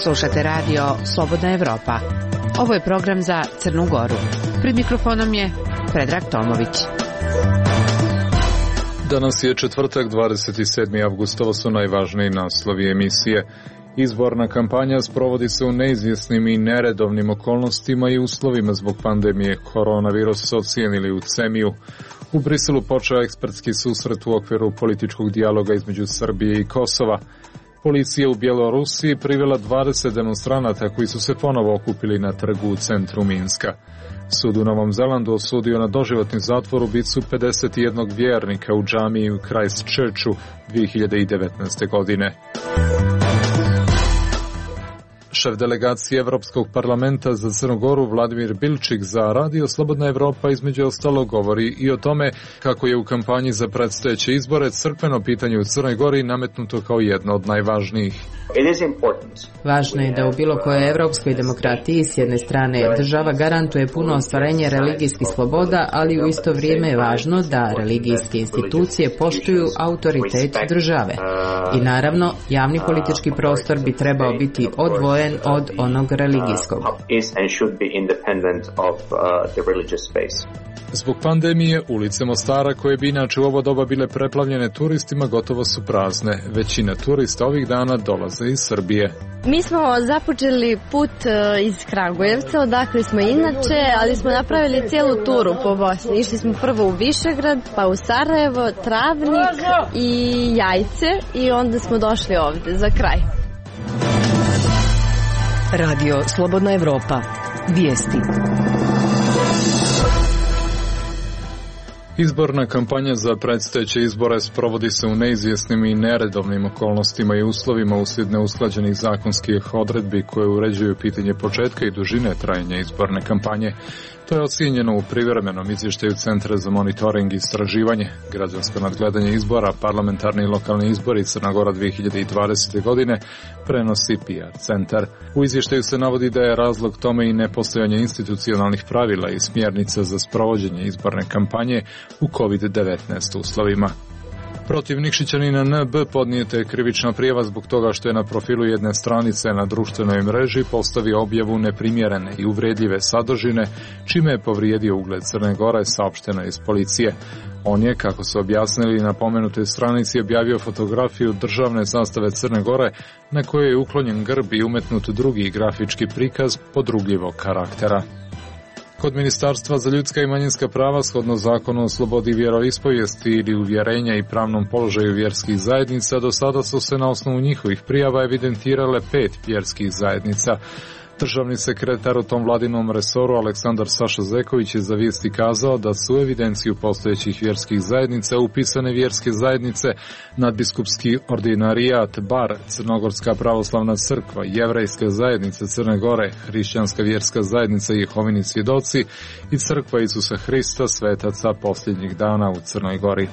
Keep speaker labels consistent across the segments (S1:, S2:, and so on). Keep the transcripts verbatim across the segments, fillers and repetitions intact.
S1: Slušate radio Slobodna Evropa. Ovo je program za Crnu Goru. Pred mikrofonom je Predrag Tomović.
S2: Danas je četvrtak, dvadeset sedmi avgust. Ovo su najvažniji naslovi emisije. Izborna kampanja sprovodi se u neizvjesnim i neredovnim okolnostima i uslovima zbog pandemije koronavirusa, ocijenili u Cemiju. U Briselu počeo ekspertski susret u okviru političkog dijaloga između Srbije i Kosova. Policija u Bjelorusiji privela dvadeset demonstranata koji su se ponovo okupili na trgu u centru Minska. Sud u Novom Zelandu osudio na doživotni zatvor ubicu pedeset jednog vjernika u džamiji u Christchurchu dvije hiljade devetnaeste. godine. Šef delegacije Evropskog parlamenta za Crnu Goru Vladimir Bilčik za radio Slobodna Evropa između ostalog govori i o tome kako je u kampanji za predstojeće izbore crkveno pitanje u Crnoj Gori nametnuto kao jedno od najvažnijih.
S3: Važno je da u bilo kojoj evropskoj demokratiji s jedne strane država garantuje puno ostvarenje religijskih sloboda, ali u isto vrijeme je važno da religijske institucije poštuju autoritet države. I naravno, javni politički prostor bi trebao biti odvojen od onog religijskog.
S2: Zbog pandemije, ulice Mostara, koje bi inače u ovo doba bile preplavljene turistima, gotovo su prazne. Većina turista ovih dana dolaze iz Srbije.
S4: Mi smo započeli put iz Kragujevca, odakle smo inače, ali smo napravili cijelu turu po Bosni. Išli smo prvo u Višegrad, pa u Sarajevo, Travnik i Jajce i onda smo došli ovdje za kraj.
S5: Radio Slobodna Evropa. Vijesti.
S2: Izborna kampanja za predstojeće izbore sprovodi se u neizvjesnim i neredovnim okolnostima i uslovima uslijed neusklađenih zakonskih odredbi koje uređuju pitanje početka i dužine trajanja izborne kampanje. To je ocijenjeno u privremenom izvještaju Centra za monitoring i istraživanje. Građansko nadgledanje izbora, parlamentarni i lokalni izbori Crna Gora dvije hiljade dvadesete. godine prenosi P R centar. U izvještaju se navodi da je razlog tome i nepostojanje institucionalnih pravila i smjernica za sprovođenje izborne kampanje u kovid devetnaest uslovima. Protiv Nikšićanina N B podnijeta je krivična prijava zbog toga što je na profilu jedne stranice na društvenoj mreži postavio objavu neprimjerene i uvredljive sadržine, čime je povrijedio ugled Crne Gore, saopšteno iz policije. On je, kako su objasnili na pomenutoj stranici, objavio fotografiju državne zastave Crne Gore na kojoj je uklonjen grb i umetnut drugi grafički prikaz podrugljivog karaktera. Kod Ministarstva za ljudska i manjinska prava, shodno zakonu o slobodi vjeroispovijesti ili uvjerenja i pravnom položaju vjerskih zajednica, do sada su se na osnovu njihovih prijava evidentirale pet vjerskih zajednica. Državni sekretar u tom vladinom resoru Aleksandar Saša Zeković je za Vijesti kazao da su u evidenciju postojećih vjerskih zajednica upisane vjerske zajednice Nadbiskupski ordinarijat Bar, Crnogorska pravoslavna crkva, Jevrejska zajednica Crne Gore, Hrišćanska vjerska zajednica Jehovini svjedoci i Crkva Isusa Hrista svetaca posljednjih dana u Crnoj Gori.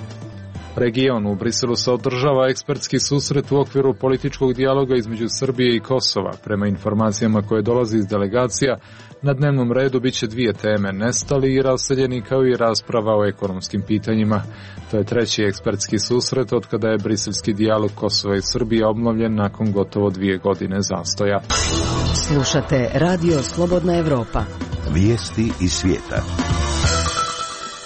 S2: Region u Briselu se održava ekspertski susret u okviru političkog dijaloga između Srbije i Kosova. Prema informacijama koje dolazi iz delegacija, na dnevnom redu bit će dvije teme, nestali i raseljeni, kao i rasprava o ekonomskim pitanjima. To je treći ekspertski susret od kada je briselski dijalog Kosova i Srbije obnovljen nakon gotovo dvije godine zastoja.
S5: Slušate Radio Slobodna Evropa.
S6: Vijesti iz svijeta.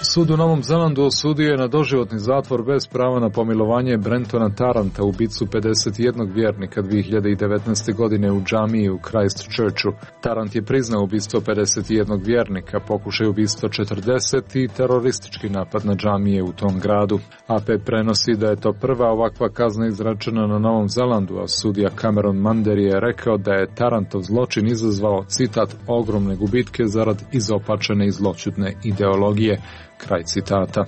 S2: Sud u Novom Zelandu osudio je na doživotni zatvor bez prava na pomilovanje Brentona Taranta, ubicu pedeset jednog vjernika dvije hiljade devetnaeste. godine u džamiji u Christchurchu. Tarant je priznao ubistvo pedeset jednog vjernika, pokušaj ubistva četrdeset i teroristički napad na džamije u tom gradu. A P prenosi da je to prva ovakva kazna izrečena na Novom Zelandu, a sudija Cameron Mander je rekao da je Tarantov zločin izazvao, citat, ogromne gubitke zarad izopačene i zloćudne ideologije. Kraj citata.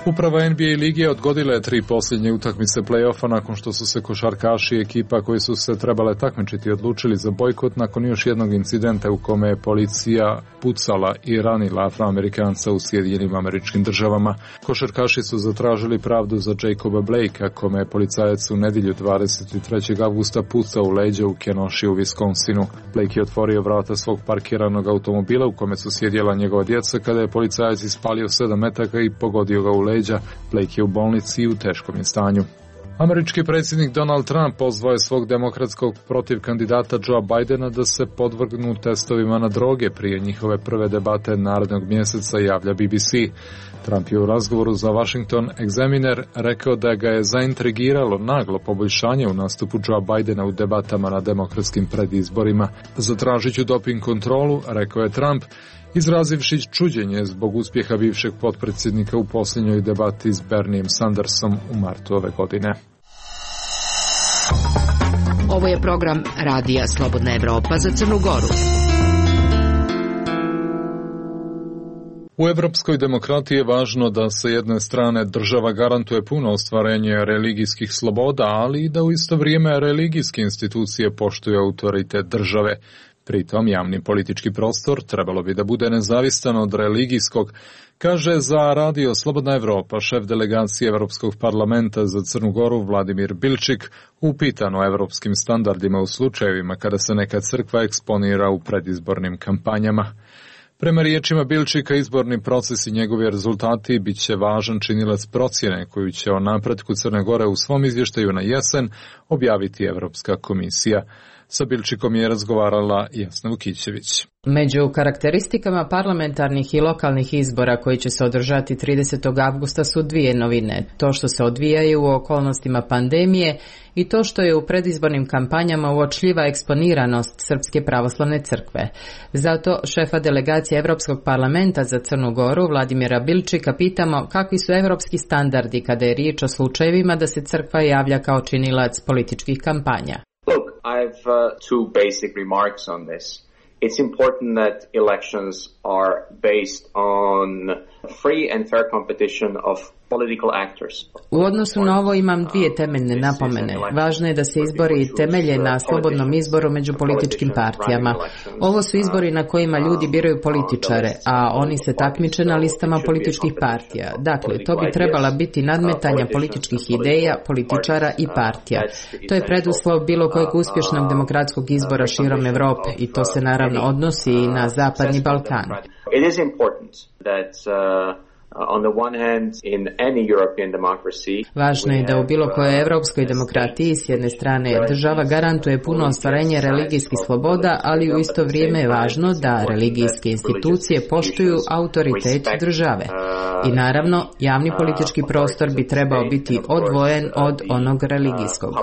S2: Uprava N B A lige odgodila je tri posljednje utakmice play-offa nakon što su se košarkaši i ekipa koji su se trebale takmičiti odlučili za bojkot nakon još jednog incidenta u kome je policija pucala i ranila Afroamerikanca u Sjedinjenim Američkim Državama. Košarkaši su zatražili pravdu za Jacoba Blakea, kome je policajac u nedjelju dvadeset trećeg avgusta pucao u leđa u Kenoshi u Wisconsinu. Blake je otvorio vrata svog parkiranog automobila u kome su sjedjela njegova djeca kada je policajac ispalio sedam metaka i pogodio ga u leđa. Blake je u bolnici i u teškom je stanju. Američki predsjednik Donald Trump pozvao je svog demokratskog protiv kandidata Joea Bidena da se podvrgnu testovima na droge prije njihove prve debate narednog mjeseca, javlja B B C. Trump je u razgovoru za Washington Examiner rekao da ga je zaintrigiralo naglo poboljšanje u nastupu Joea Bidena u debatama na demokratskim predizborima. Zatražit ću doping kontrolu, rekao je Trump, izrazivši čuđenje zbog uspjeha bivšeg potpredsjednika u posljednjoj debati s Bernijem Sandersom u martu ove godine.
S5: Ovo je program Radija Slobodna Evropa za Crnu Goru.
S2: U evropskoj demokratiji je važno da sa jedne strane država garantuje puno ostvarenje religijskih sloboda, ali i da u isto vrijeme religijske institucije poštuju autoritet države. Pritom javni politički prostor trebalo bi da bude nezavistan od religijskog, kaže za Radio Slobodna Evropa šef delegacije Europskog parlamenta za Crnu Goru Vladimir Bilčik, upitan o evropskim standardima u slučajevima kada se neka crkva eksponira u predizbornim kampanjama. Prema riječima Bilčika, izborni proces i njegovi rezultati bit će važan činilac procjene koju će o napretku Crne Gore u svom izvještaju na jesen objaviti Europska komisija. Sa Bilčikom je razgovarala Jasna Vukićević.
S3: Među karakteristikama parlamentarnih i lokalnih izbora koji će se održati tridesetog avgusta su dvije novine. To što se odvijaju u okolnostima pandemije i to što je u predizbornim kampanjama uočljiva eksponiranost Srpske pravoslavne crkve. Zato šefa delegacije Europskog parlamenta za Crnu Goru Vladimira Bilčika pitamo kakvi su evropski standardi kada je riječ o slučajevima da se crkva javlja kao činilac političkih kampanja.
S7: Look, I have uh, two basic remarks on this. It's important that elections are based on free and fair competition of political actors.
S3: U odnosu na ovo imam dvije temeljne napomene. Važno je da se izbori temelje na slobodnom izboru među političkim partijama. Ovo su izbori na kojima ljudi biraju političare, a oni se takmiče na listama političkih partija. Dakle, to bi trebala biti nadmetanja političkih ideja, političara i partija. To je preduslov bilo kojeg uspješnog demokratskog izbora širom Europe i to se naravno odnosi i na Zapadni Balkan.
S7: It is important that uh, on the one hand, in any European democracy,
S3: važno je da u bilo kojoj evropskoj demokratiji s jedne strane država garantuje puno ostvarenje religijskih sloboda, ali u isto vrijeme je važno da religijske institucije poštuju autoritet države. I naravno, javni politički prostor bi trebao biti odvojen od onog religijskog.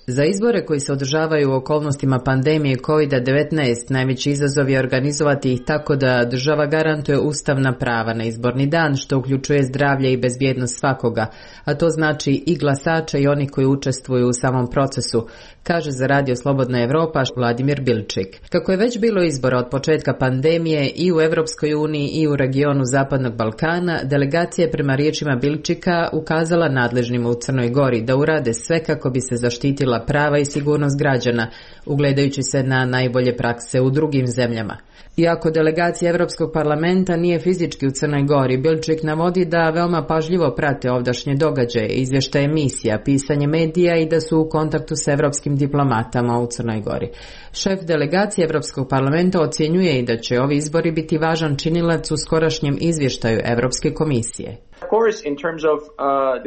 S3: Za izbore koji se održavaju u okolnostima pandemije kovid devetnaest najveći izazov je organizovati ih tako da država garantuje ustavna prava na izborni dan, što uključuje zdravlje i bezbjednost svakoga, a to znači i glasača i oni koji učestvuju u samom procesu, kaže za Radio Slobodna Evropa Vladimir Bilčik. Kako je već bilo izbora od početka pandemije i u Europskoj uniji i u regionu Zapadnog Balkana, delegacija je prema riječima Bilčika ukazala nadležnim u Crnoj Gori da urade sve kako bi se zaštitila prava i sigurnost građana, ugledajući se na najbolje prakse u drugim zemljama. Iako delegacija Europskog parlamenta nije fizički u Crnoj Gori, Bilčik navodi da veoma pažljivo prate ovdašnje događaje, izvještaje emisija, pisanje medija i da su u kontaktu s evropskim diplomatama u Crnoj Gori. Šef delegacije Europskog parlamenta ocjenjuje i da će ovi izbori biti važan činilac u skorašnjem izvještaju Europske komisije.
S7: Of course, in terms of uh,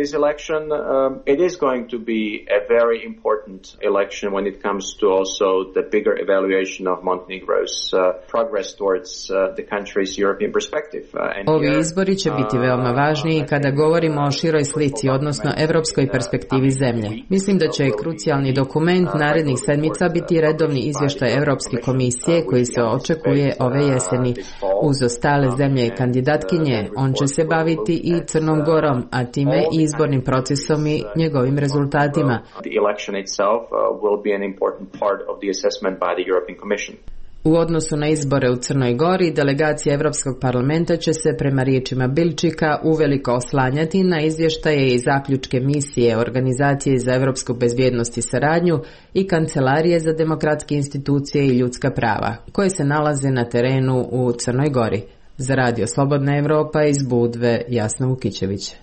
S7: this election, um, it is going to be a very important election when it comes to also the bigger evaluation of Montenegro's uh, progress towards uh, the country's European perspective. Uh, and
S3: Ovi
S7: here,
S3: izbori će biti veoma važni kada govorimo o široj slici, odnosno evropskoj perspektivi zemlje. Mislim da će krucijalni dokument narednih sedmica biti redovni izvještaj Europske komisije koji se očekuje ove jeseni. Uz ostale zemlje i kandidatkinje, on će se baviti i Crnom Gorom, a time i izbornim procesom i njegovim rezultatima. U odnosu na izbore u Crnoj Gori, delegacija Europskog parlamenta će se prema riječima Bilčika uveliko oslanjati na izvještaje i zaključke misije Organizacije za europsku bezbjednost i saradnju i Kancelarije za demokratske institucije i ljudska prava, koje se nalaze na terenu u Crnoj Gori. Za Radio Slobodna Evropa iz Budve, Jasna Vukićević.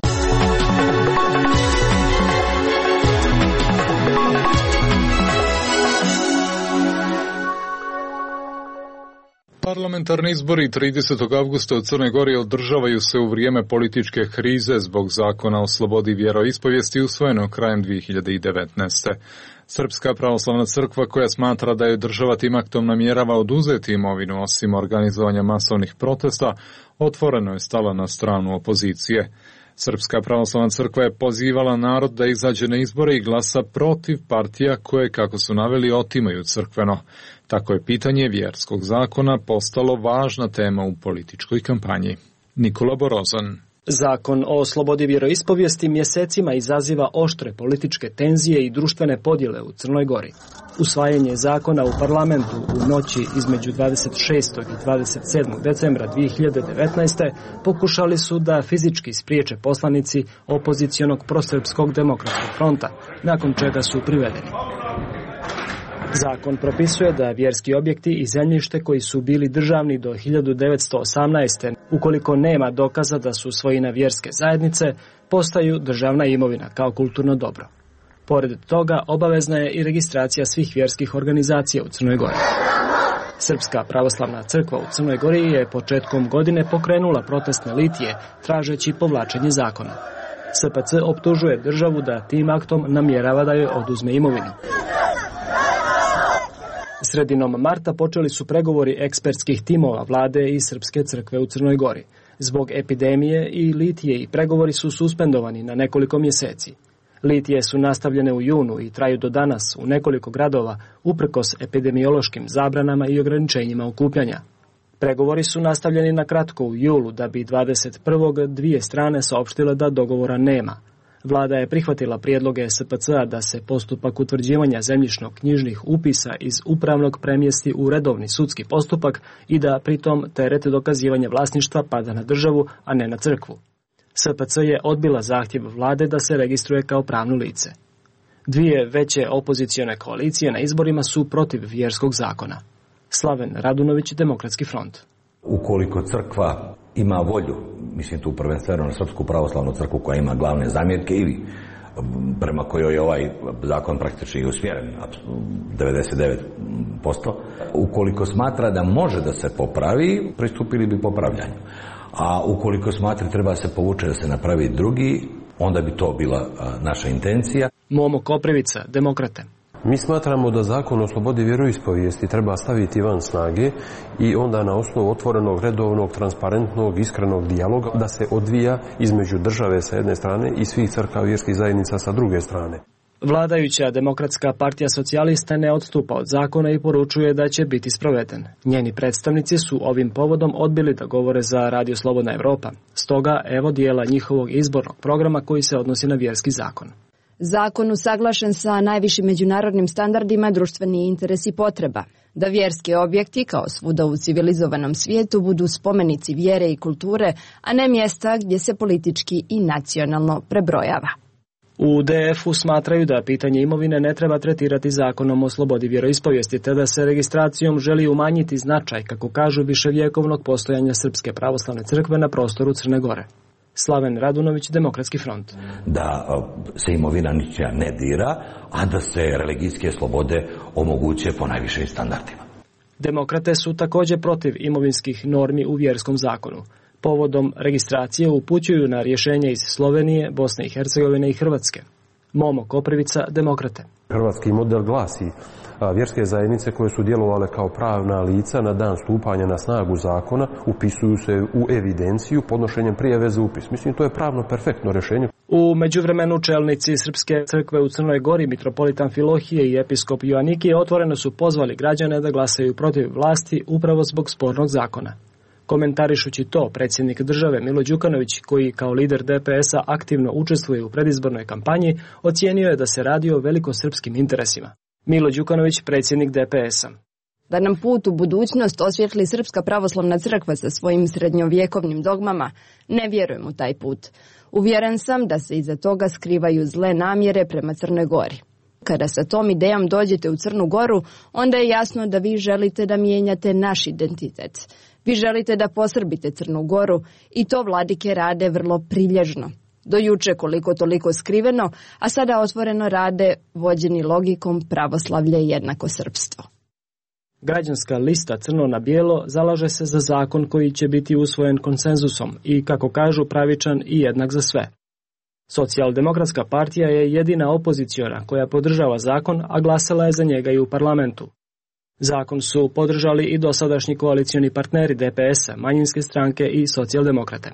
S2: Parlamentarni izbori tridesetog avgusta u Crnoj Gori održavaju se u vrijeme političke krize zbog zakona o slobodi vjeroispovijesti usvojenog krajem dvije hiljade devetnaeste. Srpska pravoslavna crkva, koja smatra da je država tim aktom namjerava oduzeti imovinu osim organizovanja masovnih protesta, otvoreno je stala na stranu opozicije. Srpska pravoslavna crkva je pozivala narod da izađe na izbore i glasa protiv partija koje, kako su naveli, otimaju crkveno. Tako je pitanje vjerskog zakona postalo važna tema u političkoj kampanji. Nikola Borozan.
S8: Zakon o slobodi vjeroispovijesti mjesecima izaziva oštre političke tenzije i društvene podjele u Crnoj Gori. Usvajanje zakona u parlamentu u noći između dvadeset šestog i dvadeset sedmog decembra dvije hiljade devetnaeste. pokušali su da fizički spriječe poslanici opozicionog prosrpskog demokratskog fronta, nakon čega su privedeni. Zakon propisuje da vjerski objekti i zemljište koji su bili državni do hiljadu devetsto osamnaeste. ukoliko nema dokaza da su svojina vjerske zajednice, postaju državna imovina kao kulturno dobro. Pored toga, obavezna je i registracija svih vjerskih organizacija u Crnoj Gori. Srpska pravoslavna crkva u Crnoj Gori je početkom godine pokrenula protestne litije, tražeći povlačenje zakona. S P C optužuje državu da tim aktom namjerava da joj oduzme imovinu. Sredinom marta počeli su pregovori ekspertskih timova vlade i Srpske crkve u Crnoj Gori. Zbog epidemije i litije i pregovori su suspendovani na nekoliko mjeseci. Litije su nastavljene u junu i traju do danas u nekoliko gradova, uprkos epidemiološkim zabranama i ograničenjima okupljanja. Pregovori su nastavljeni na kratko u julu, da bi dvadeset prvog dvije strane saopštile da dogovora nema. Vlada je prihvatila prijedloge S P C-a da se postupak utvrđivanja zemljišno-knjižnih upisa iz upravnog premjesti u redovni sudski postupak i da pritom teret dokazivanja vlasništva pada na državu, a ne na crkvu. S P C je odbila zahtjev vlade da se registruje kao pravno lice. Dvije veće opozicione koalicije na izborima su protiv vjerskog zakona. Slaven Radunović, Demokratski front.
S9: Ukoliko crkva ima volju, mislim tu prvenstveno na Srpsku pravoslavnu crkvu koja ima glavne zamjerke ili prema kojoj je ovaj zakon praktički usmjeren, devedeset devet posto, ukoliko smatra da može da se popravi, pristupili bi popravljanju. A ukoliko smatra treba se povuče da se napravi drugi, onda bi to bila naša intencija.
S8: Momo Koprivica, Demokrate.
S10: Mi smatramo da zakon o slobodi vjeroispovijesti treba staviti van snage i onda na osnovu otvorenog, redovnog, transparentnog, iskrenog dijaloga da se odvija između države sa jedne strane i svih crkava vjerskih zajednica sa druge strane.
S8: Vladajuća Demokratska partija socijalista ne odstupa od zakona i poručuje da će biti sproveden. Njeni predstavnici su ovim povodom odbili da govore za Radio Slobodna Evropa. Stoga evo dijela njihovog izbornog programa koji se odnosi na vjerski zakon.
S11: Zakon usaglašen sa najvišim međunarodnim standardima, društveni interes i potreba. Da vjerski objekti, kao svuda u civilizovanom svijetu, budu spomenici vjere i kulture, a ne mjesta gdje se politički i nacionalno prebrojava.
S8: U D F-u smatraju da pitanje imovine ne treba tretirati zakonom o slobodi vjeroispovijesti, te da se registracijom želi umanjiti značaj, kako kažu, viševjekovnog postojanja Srpske pravoslavne crkve na prostoru Crne Gore. Slaven Radunović, Demokratski front.
S9: Da se imovina ničija ne dira, a da se religijske slobode omoguće po najvišim standardima.
S8: Demokrate su također protiv imovinskih normi u vjerskom zakonu. Povodom registracije upućuju na rješenje iz Slovenije, Bosne i Hercegovine i Hrvatske. Momo Koprivica, Demokrate.
S10: Hrvatski model glasi: vjerske zajednice koje su djelovale kao pravna lica na dan stupanja na snagu zakona upisuju se u evidenciju podnošenjem prijave za upis. Mislim, to je pravno perfektno rješenje.
S8: U međuvremenu čelnici Srpske crkve u Crnoj Gori, mitropolitan Filohije i episkop Joanikije otvoreno su pozvali građane da glasaju protiv vlasti upravo zbog spornog zakona. Komentarišući to, predsjednik države Milo Đukanović, koji kao lider D P S-a aktivno učestvuje u predizbornoj kampanji, ocijenio je da se radi o velikosrpskim interesima. Milo Đukanović, predsjednik D P S-a.
S11: Da nam put u budućnost osvijetli Srpska pravoslavna crkva sa svojim srednjovjekovnim dogmama, ne vjerujem u taj put. Uvjeren sam da se iza toga skrivaju zle namjere prema Crnoj Gori. Kada sa tom idejom dođete u Crnu Goru, onda je jasno da vi želite da mijenjate naš identitet. Vi želite da posrbite Crnu Goru i to vladike rade vrlo prilježno. Do juče koliko toliko skriveno, a sada otvoreno rade vođeni logikom pravoslavlje jednako srpstvo.
S8: Građanska lista Crno na bijelo zalaže se za zakon koji će biti usvojen konsenzusom i, kako kažu, pravičan i jednak za sve. Socijaldemokratska partija je jedina opoziciona koja podržava zakon, a glasala je za njega i u parlamentu. Zakon su podržali i dosadašnji koalicioni partneri D P S-a, manjinske stranke i socijaldemokrate.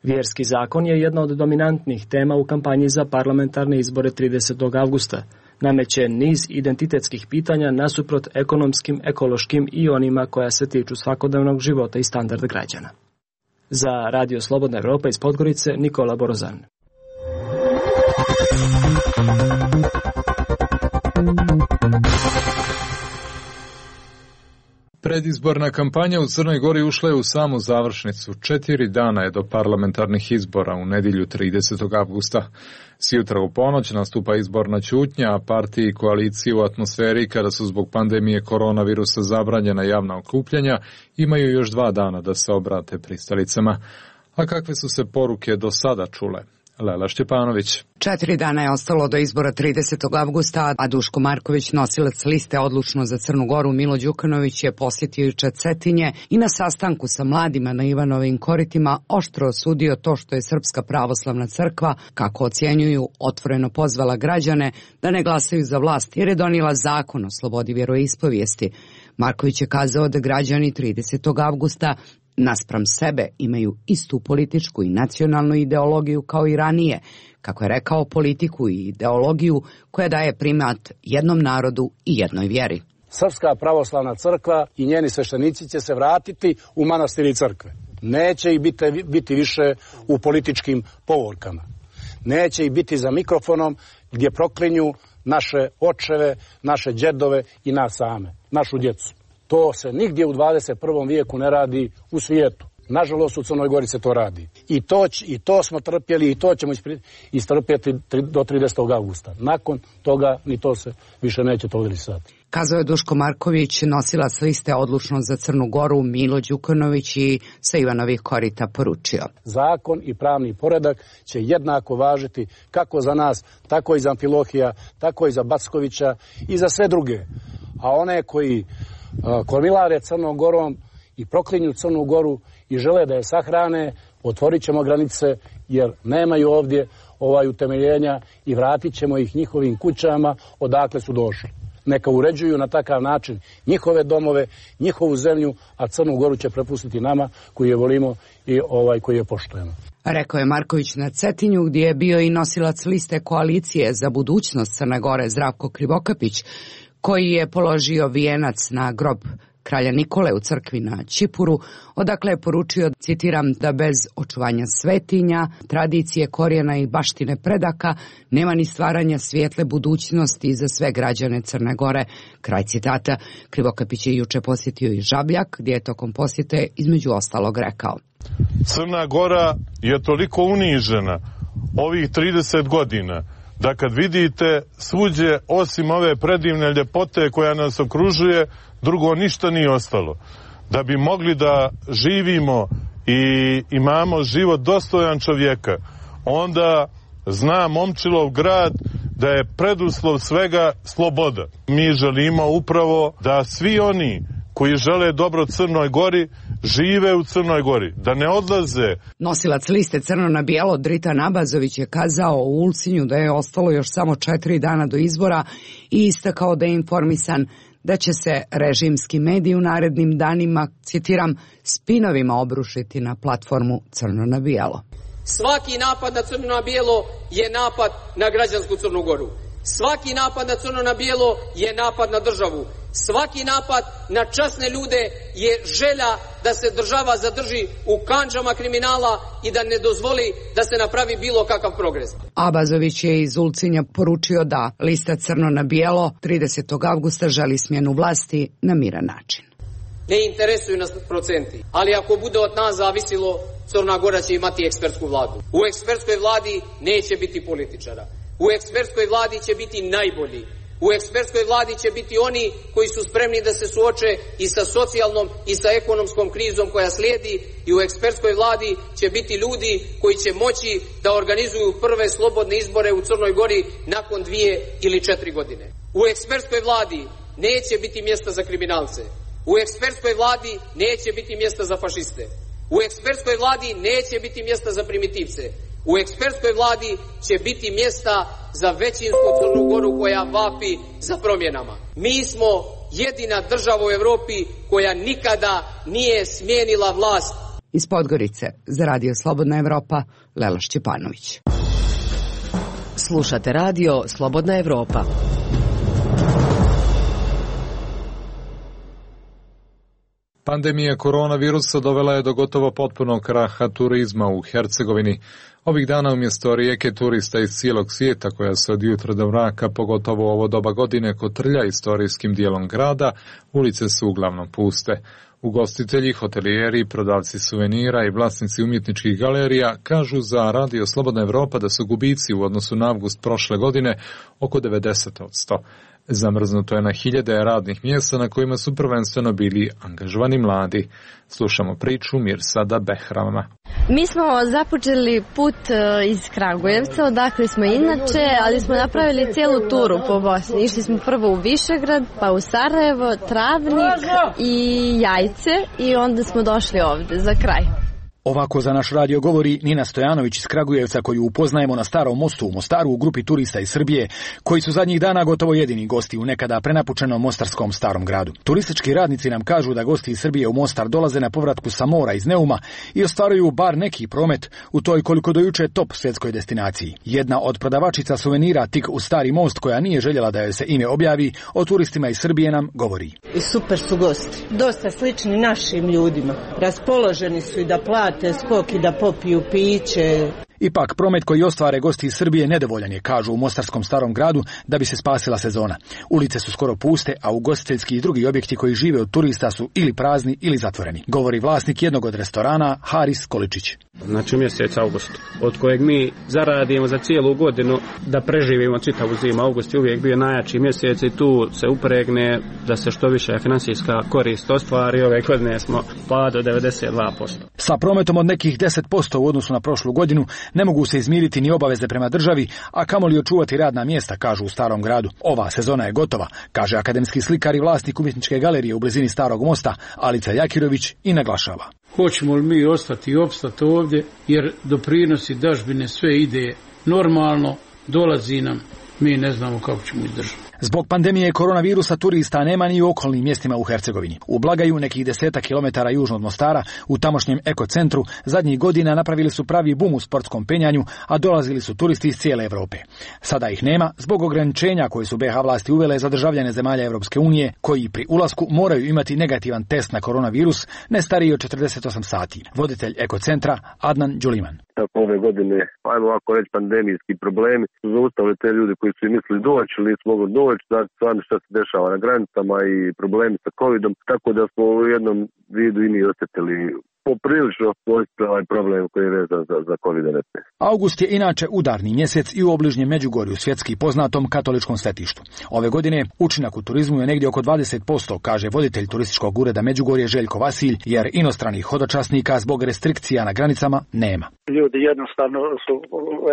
S8: Vjerski zakon je jedna od dominantnih tema u kampanji za parlamentarne izbore tridesetog avgusta. Nameće niz identitetskih pitanja nasuprot ekonomskim, ekološkim i onima koja se tiču svakodnevnog života i standarda građana. Za Radio Slobodna Evropa iz Podgorice, Nikola Borozan.
S2: Predizborna kampanja u Crnoj Gori ušla je u samu završnicu. Četiri dana je do parlamentarnih izbora u nedjelju tridesetog avgusta. Sjutra u ponoć nastupa izborna ćutnja, a partiji i koaliciji u atmosferi kada su zbog pandemije koronavirusa zabranjena javna okupljanja imaju još dva dana da se obrate pristalicama. A kakve su se poruke do sada čule? Lela Šćepanović.
S5: Četiri dana je ostalo do izbora tridesetog avgusta, a Duško Marković, nosilac liste Odlučno za Crnu Goru, Milo Đukanović je posjetio juče Cetinje i na sastanku sa mladima na Ivanovim koritima oštro osudio to što je Srpska pravoslavna crkva, kako ocjenjuju, otvoreno pozvala građane da ne glasaju za vlast jer je donijela zakon o slobodi vjeroispovijesti. Marković je kazao da građani tridesetog avgusta naspram sebe imaju istu političku i nacionalnu ideologiju kao i ranije, kako je rekao, politiku i ideologiju koja daje primat jednom narodu i jednoj vjeri.
S12: Srpska pravoslavna crkva i njeni sveštenici će se vratiti u manastiri i crkve. Neće ih biti, biti više u političkim povorkama. Neće ih biti za mikrofonom gdje proklinju naše očeve, naše džedove i nas same, našu djecu. To se nigdje u dvadeset prvom vijeku ne radi u svijetu. Nažalost, u Crnoj Gori se to radi. I to, i to smo trpjeli i to ćemo istrpjeti do tridesetog avgusta. Nakon toga ni to se više neće tolerisati.
S5: Kazao je Duško Marković, nosilac liste Odlučno za Crnu Goru, Milo Đukanović, i sa Ivanovih korita poručio.
S12: Zakon i pravni poredak će jednako važiti kako za nas, tako i za Amfilohija, tako i za Backovića i za sve druge. A one koji kormilare Crnom Gorom i proklinju Crnu Goru i žele da je sahrane, otvorit ćemo granice jer nemaju ovdje ovaj utemeljenja i vratit ćemo ih njihovim kućama odakle su došli. Neka uređuju na takav način njihove domove, njihovu zemlju, a Crnu Goru će prepustiti nama koji je volimo i ovaj koji je poštujemo.
S5: Rekao je Marković na Cetinju, gdje je bio i nosilac liste koalicije za budućnost Crne Gore Zdravko Krivokapić, koji je položio vijenac na grob kralja Nikole u crkvi na Čipuru, odakle je poručio, citiram, da bez očuvanja svetinja, tradicije, korijena i baštine predaka nema ni stvaranja svijetle budućnosti za sve građane Crne Gore. Kraj citata. Krivokapić je juče posjetio i Žabljak, gdje je tokom posjete između ostalog rekao:
S13: Crna Gora je toliko unižena ovih trideset godina da kad vidite svuđe osim ove predivne ljepote koja nas okružuje, drugo ništa nije ostalo. Da bi mogli da živimo i imamo život dostojan čovjeka, onda zna Momčilov grad da je preduslov svega sloboda. Mi želimo upravo da svi oni koji žele dobro Crnoj Gori žive u Crnoj Gori, da ne odlaze.
S5: Nosilac liste Crno na bijelo Dritan Abazović je kazao u Ulcinju da je ostalo još samo četiri dana do izbora i istakao da je informisan da će se režimski mediji u narednim danima, citiram, spinovima obrušiti na platformu Crno na bijelo.
S14: Svaki napad na Crno na bijelo je napad na građansku Crnu Goru. Svaki napad na Crno na bijelo je napad na državu. Svaki napad na časne ljude je želja da se država zadrži u kandžama kriminala i da ne dozvoli da se napravi bilo kakav progres.
S5: Abazović je iz Ulcinja poručio da lista Crno na bijelo tridesetog avgusta želi smjenu vlasti na miran način.
S14: Ne interesuju nas procenti, ali ako bude od nas zavisilo, Crna Gora će imati ekspertsku vladu. U ekspertskoj vladi neće biti političara. U ekspertskoj vladi će biti najbolji. U ekspertskoj vladi će biti oni koji su spremni da se suoče i sa socijalnom i sa ekonomskom krizom koja slijedi, i u ekspertskoj vladi će biti ljudi koji će moći da organizuju prve slobodne izbore u Crnoj Gori nakon dvije ili četiri godine. U ekspertskoj vladi neće biti mjesta za kriminalce. U ekspertskoj vladi neće biti mjesta za fašiste. U ekspertskoj vladi neće biti mjesta za primitivce. U ekspertskoj vladi će biti mjesta za većinsku Crnu Goru koja vapi za promjenama. Mi smo jedina država u Europi koja nikada nije smijenila vlast.
S5: Iz Podgorice za Radio Slobodna Evropa, Lela Šćepanović.
S15: Slušate radio Slobodna Evropa.
S2: Pandemija koronavirusa dovela je do gotovo potpunog kraha turizma u Hercegovini. Ovih dana umjesto rijeke turista iz cijelog svijeta koja se od jutra do mraka, pogotovo ovo doba godine, kotrlja istorijskim dijelom grada, ulice su uglavnom puste. Ugostitelji, hotelijeri, prodavci suvenira i vlasnici umjetničkih galerija kažu za Radio Slobodna Evropa da su gubici u odnosu na avgust prošle godine oko devedeset posto. Zamrznuto je na hiljade radnih mjesta na kojima su prvenstveno bili angažovani mladi. Slušamo priču Mirsada Behrama.
S4: Mi smo započeli put iz Kragujevca, odakle smo inače, ali smo napravili cijelu turu po Bosni. Išli smo prvo u Višegrad, pa u Sarajevo, Travnik i Jajce i onda smo došli ovdje za kraj.
S16: Ovako za naš radio govori Nina Stojanović iz Kragujevca, koju upoznajemo na Starom mostu u Mostaru u grupi turista iz Srbije, koji su zadnjih dana gotovo jedini gosti u nekada prenapučenom mostarskom Starom gradu. Turistički radnici nam kažu da gosti iz Srbije u Mostar dolaze na povratku sa mora iz Neuma i ostvaruju bar neki promet u toj koliko do juče top svjetskoj destinaciji. Jedna od prodavačica suvenira tik u Stari most, koja nije željela da joj se ime objavi, o turistima iz Srbije nam govori.
S17: I super su gosti, dosta slični našim ljudima, raspoloženi su i da plate te skok i da popiju piće.
S16: Ipak, promet koji ostvare gosti iz Srbije nedovoljan je, kažu u mostarskom Starom gradu, da bi se spasila sezona. Ulice su skoro puste, a ugostiteljski i drugi objekti koji žive od turista su ili prazni ili zatvoreni, govori vlasnik jednog od restorana, Haris Količić.
S18: Znači mjesec august, od kojeg mi zaradimo za cijelu godinu da preživimo čitavu zimu. August je uvijek bio najjači mjesec i tu se upregne da se što više finansijska korist ostvari. Ove godine smo pad od devedeset dva posto.
S16: Sa prometom od nekih deset posto u odnosu na prošlu godinu ne mogu se izmiriti ni obaveze prema državi, a kamoli očuvati radna mjesta, kažu u Starom gradu. Ova sezona je gotova, kaže akademski slikar i vlasnik umjetničke galerije u blizini Starog mosta, Alica Jakirović, i naglašava.
S19: Hoćemo li mi ostati i opstati ovdje, jer doprinosi dažbine sve ide normalno, dolazi nam, mi ne znamo kako ćemo izdržati.
S16: Zbog pandemije koronavirusa turista nema ni u okolnim mjestima u Hercegovini. U Blagaju, nekih desetak kilometara južno od Mostara, u tamošnjem ekocentru, zadnjih godina napravili su pravi bum u sportskom penjanju, a dolazili su turisti iz cijele Europe. Sada ih nema zbog ograničenja koje su B iH vlasti uvele za državljane zemalja Europske unije, koji pri ulasku moraju imati negativan test na koronavirus ne stariji od četrdeset osam sati. Voditelj ekocentra Adnan Đuliman.
S20: Ove godine, ajmo ovako reći, pandemijski problemi su zaustavili te ljudi koji su i mislili doći ili nisu mogli doći, znači stvarno što se dešava na granicama i problemi sa covidom, tako da smo u jednom vidu i mi osjetili poprilično ovaj problem koji je vezan za, za kovid devetnaest.
S16: August je inače udarni mjesec i u obližnjem Međugorju, svjetski poznatom katoličkom svetištu. Ove godine učinak u turizmu je negdje oko dvadeset posto, kaže voditelj turističkog ureda Međugorje Željko Vasilj, jer inostranih hodočasnika zbog restrikcija na granicama nema.
S21: Ljudi jednostavno su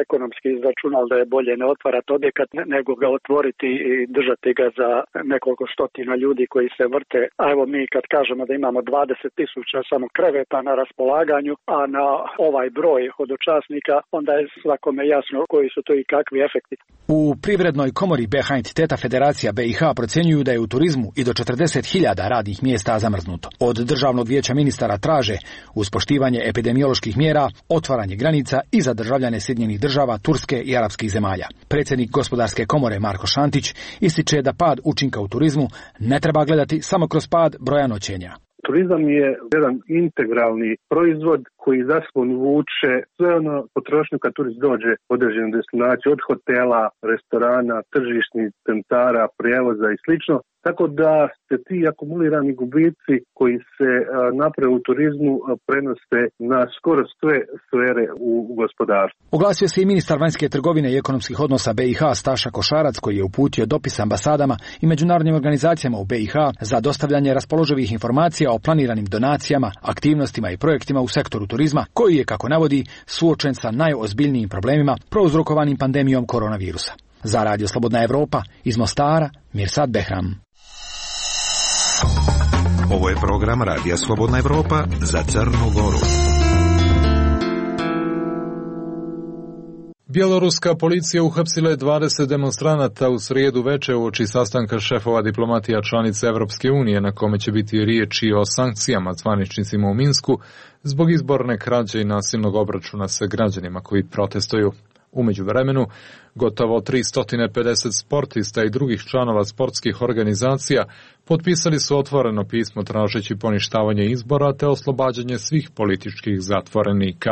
S21: ekonomski izračunali da je bolje ne otvarati objekat nego ga otvoriti i držati ga za nekoliko stotina ljudi koji se vrte. A evo mi kad kažemo da imamo dvadeset tisuća samo kreveta na raspolaganju, a na ovaj broj hodočasnika, onda je svakome jasno koji su to i kakvi efekti.
S16: U Privrednoj komori B iH entiteta Federacija B iH procjenjuju da je u turizmu i do četrdeset hiljada radnih mjesta zamrznuto. Od Državnog vijeća ministara traže, uz poštivanje epidemioloških mjera, otvaranje granica i za državljane Sjedinjenih država, Turske i arapskih zemalja. Predsjednik Gospodarske komore Marko Šantić ističe da pad učinka u turizmu ne treba gledati samo kroz pad broja noćenja.
S22: Turizam je jedan integralni proizvod koji za sobom vuče sve ono potrošnju kad turist dođe u određenu destinaciju, od hotela, restorana, tržišnih centara, prijevoza i slično. Tako da se ti akumulirani gubici koji se naprave u turizmu prenose na skoro sve sfere u gospodarstvu.
S16: Oglasio se i ministar vanjske trgovine i ekonomskih odnosa B iH Staša Košarac, koji je uputio dopis ambasadama i međunarodnim organizacijama u B iH za dostavljanje raspoloživih informacija o planiranim donacijama, aktivnostima i projektima u sektoru turizma, koji je, kako navodi, suočen sa najozbiljnijim problemima prouzrokovanim pandemijom koronavirusa. Za Radio Slobodna Evropa iz Mostara, Mirsad Behram.
S1: Ovo je program Radija Slobodna Evropa za Crnu Goru.
S2: Bjeloruska policija uhapsila je dvadeset demonstranata u srijedu veče uoči sastanka šefova diplomatija članice Evropske unije, na kome će biti riječi o sankcijama zvaničnicima u Minsku zbog izborne krađe i nasilnog obračuna sa građanima koji protestuju. U međuvremenu, gotovo tristo pedeset sportista i drugih članova sportskih organizacija potpisali su otvoreno pismo tražeći poništavanje izbora te oslobađanje svih političkih zatvorenika.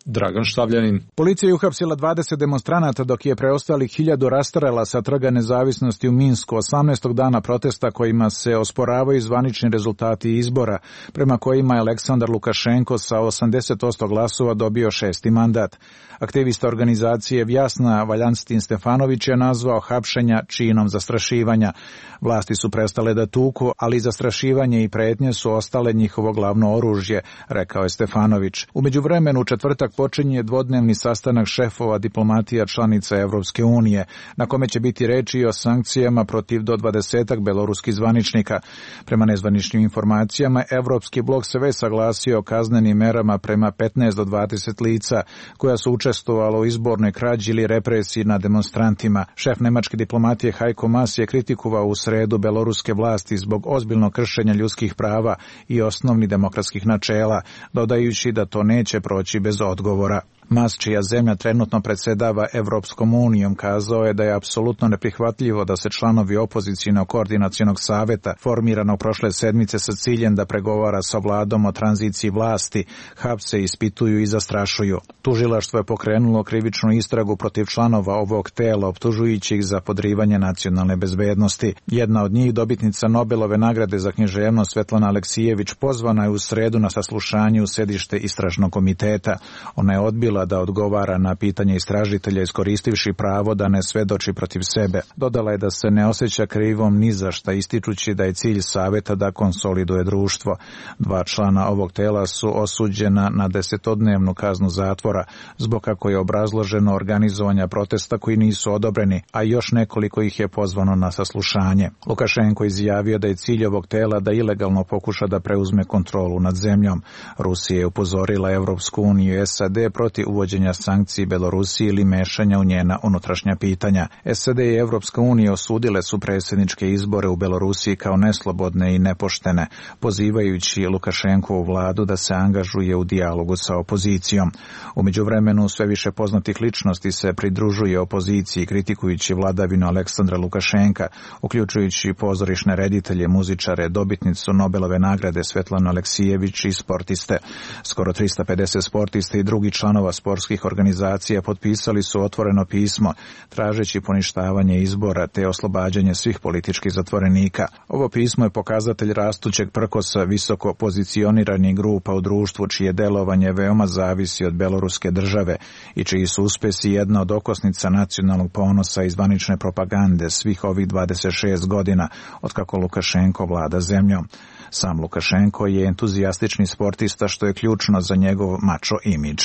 S2: Dragan Štavljanin.
S6: Policija je uhapsila dvadeset demonstranata dok je preostalih hiljadu rastrela sa Trga nezavisnosti u Minsku osamnaestog dana protesta kojima se osporavaju zvanični rezultati izbora, prema kojima je Aleksandar Lukašenko sa osamdeset posto glasova dobio šesti mandat. Aktivista organizacije Vjasna Valjanstin Stefanović je nazvao hapšenja činom zastrašivanja. Vlasti su prestale da tuku, ali zastrašivanje i pretnje su ostale njihovo glavno oružje, rekao je Stefanović. U međuvremenu u četvrtak počinje dvodnevni sastanak šefova diplomatija članica Evropske unije, na kome će biti reči o sankcijama protiv do dvadesetak beloruskih zvaničnika. Prema nezvaničnim informacijama, Evropski blok se već saglasio o kaznenim merama prema petnaest do dvadeset lica koja su učestvovala u izbornoj krađi ili represiji nad demonstrantima. Šef nemačke diplomatije Heiko Maas je kritikovao u sredu beloruske vlasti zbog ozbiljnog kršenja ljudskih prava i osnovnih demokratskih načela, dodajući da to neće proći bez odgovora. Mas, čija zemlja trenutno predsjedava Evropskom unijom, kazao je da je apsolutno neprihvatljivo da se članovi opozicijnog koordinacionog saveta, formiranog prošle sedmice sa ciljem da pregovara sa vladom o tranziciji vlasti, hapse, ispituju i zastrašuju. Tužilaštvo je pokrenulo krivičnu istragu protiv članova ovog tela, optužujući ih za podrivanje nacionalne bezbednosti. Jedna od njih, dobitnica Nobelove nagrade za književnost Svetlana Aleksijević, pozvana je u sredu na saslušanje u sedište istražnog komiteta. Ona je odbila da odgovara na pitanje istražitelja iskoristivši pravo da ne svedoči protiv sebe. Dodala je da se ne osjeća krivom ni za šta, ističući da je cilj saveta da konsoliduje društvo. Dva člana ovog tela su osuđena na desetodnevnu kaznu zatvora zbog, kako je obrazloženo, organizovanja protesta koji nisu odobreni, a još nekoliko ih je pozvano na saslušanje. Lukašenko izjavio da je cilj ovog tela da ilegalno pokuša da preuzme kontrolu nad zemljom. Rusija je upozorila Evropsku uniju i S A D protiv uvođenja sankciji Belorusiji ili mešanja u njena unutrašnja pitanja. S A D i Evropska unija osudile su predsjedničke izbore u Belorusiji kao neslobodne i nepoštene, pozivajući Lukašenkovu vladu da se angažuje u dijalogu sa opozicijom. U međuvremenu sve više poznatih ličnosti se pridružuje opoziciji, kritikujući vladavinu Aleksandra Lukašenka, uključujući pozorišne reditelje, muzičare, dobitnicu Nobelove nagrade Svetlanu Aleksijević i sportiste. Skoro tristo pedeset sportista i drugi članova sportskih organizacija potpisali su otvoreno pismo tražeći poništavanje izbora te oslobađanje svih političkih zatvorenika. Ovo pismo je pokazatelj rastućeg prkosa visoko pozicioniranih grupa u društvu čije delovanje veoma zavisi od beloruske države i čiji su uspesi jedna od okosnica nacionalnog ponosa i zvanične propagande svih ovih dvadeset šest godina otkako Lukašenko vlada zemljom. Sam Lukašenko je entuzijastični sportista, što je ključno za njegov mačo imidž.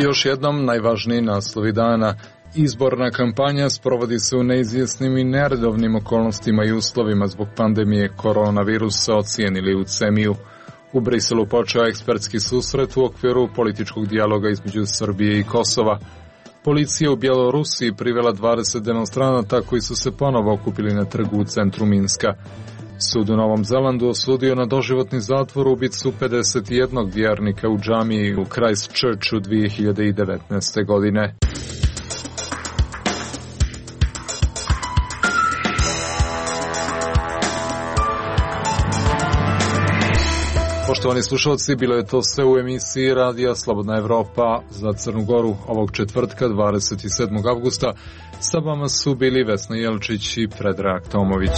S2: Još jednom najvažniji naslovi dana. Izborna kampanja sprovodi se u neizvjesnim i neredovnim okolnostima i uslovima zbog pandemije koronavirusa, ocijenili u CEMI-u. U Briselu počeo ekspertski susret u okviru političkog dijaloga između Srbije i Kosova. Policija u Bjelorusiji privela dvadeset demonstranata koji su se ponovo okupili na trgu u centru Minska. Sud u Novom Zelandu osudio na doživotni zatvor ubicu pedeset jednog vjernika u džamiji u Christchurchu dvije hiljade devetnaeste. godine. Poštovani slušalci, bilo je to sve u emisiji Radija Slobodna Evropa za Crnu Goru ovog četvrtka dvadeset sedmog avgusta. Sa vama su bili Vesna Jelčić i Predrag Tomović.